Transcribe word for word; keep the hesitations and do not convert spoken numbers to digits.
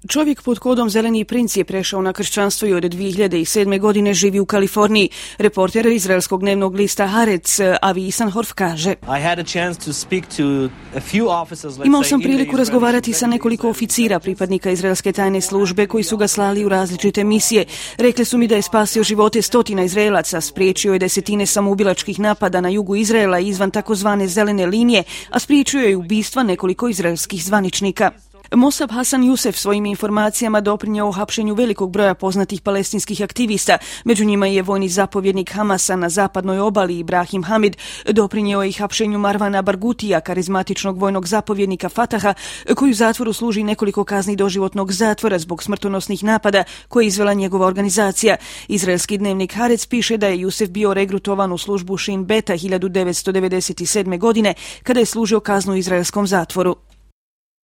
Čovjek pod kodom Zeleni princ je prešao na kršćanstvo i od dvije hiljade sedme. godine živi u Kaliforniji. Reporter izraelskog dnevnog lista Haaretz Avi Isanhorf kaže: Imao sam priliku razgovarati sa nekoliko oficira pripadnika izraelske tajne službe koji su ga slali u različite misije. Rekli su mi da je spasio živote stotina Izraelaca, spriječio je desetine samoubilačkih napada na jugu Izraela izvan takozvane zelene linije, a spriječio je ubistva nekoliko izraelskih zvaničnika. Mosab Hasan Jusef svojim informacijama doprinjeo hapšenju velikog broja poznatih palestinskih aktivista. Među njima je vojni zapovjednik Hamasa na zapadnoj obali Ibrahim Hamid, doprinjeo je i hapšenju Marvana Bargutija, karizmatičnog vojnog zapovjednika Fataha, koji u zatvoru služi nekoliko kazni doživotnog zatvora zbog smrtonosnih napada koje je izvela njegova organizacija. Izraelski dnevnik Haaretz piše da je Jusef bio regrutovan u službu Shin Beta hiljadu devetsto devedeset sedme. godine kada je služio kaznu u izraelskom zatvoru.